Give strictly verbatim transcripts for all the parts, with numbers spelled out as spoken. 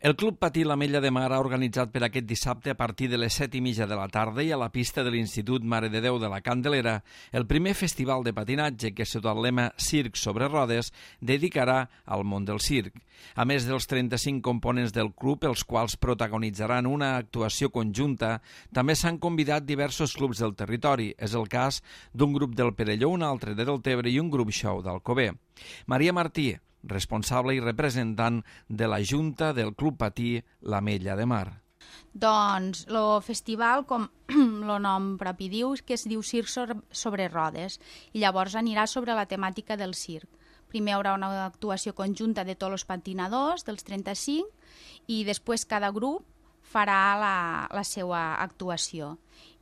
El Club Patí l'Ametlla de Mar ha organitzat per aquest dissabte a partir de les set i mitja de la tarda i a la pista de l'Institut Mare de Déu de la Candelera el primer festival de patinatge que, sota el lema Circ sobre rodes, dedicarà al món del circ. A més dels trenta-cinc components del club, els quals protagonitzaran una actuació conjunta, també s'han convidat diversos clubs del territori. És el cas d'un grup del Perelló, un altre de Deltebre i un grup show d'Alcover. Maria Martí, responsable i representant de la Junta del Club Patí l'Ametlla de Mar. Doncs el festival, com el nom propi diu, que es diu Circ sobre rodes, i llavors anirà sobre la temàtica del circ. Primer hi haurà una actuació conjunta de tots els patinadors, dels trenta-cinc, i després cada grup farà la, la seva actuació.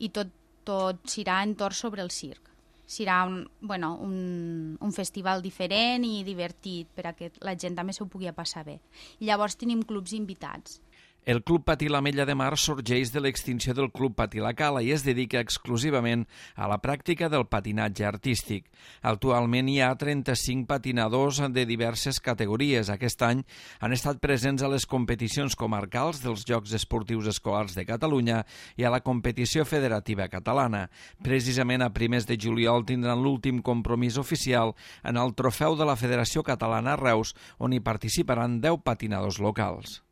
I tot, tot serà entorn sobre el circ. Serà un, bueno, un, un festival diferent i divertit perquè la gent també s'ho pugui passar bé. I llavors tenim clubs invitats. El Club Patí l'Ametlla de Mar sorgeix de l'extinció del Club Patí la Cala i es dedica exclusivament a la pràctica del patinatge artístic. Actualment hi ha trenta-cinc patinadors de diverses categories. Aquest any han estat presents a les competicions comarcals dels Jocs Esportius Escolars de Catalunya i a la competició federativa catalana. Precisament a primers de juliol tindran l'últim compromís oficial en el trofeu de la Federació Catalana a Reus, on hi participaran deu patinadors locals.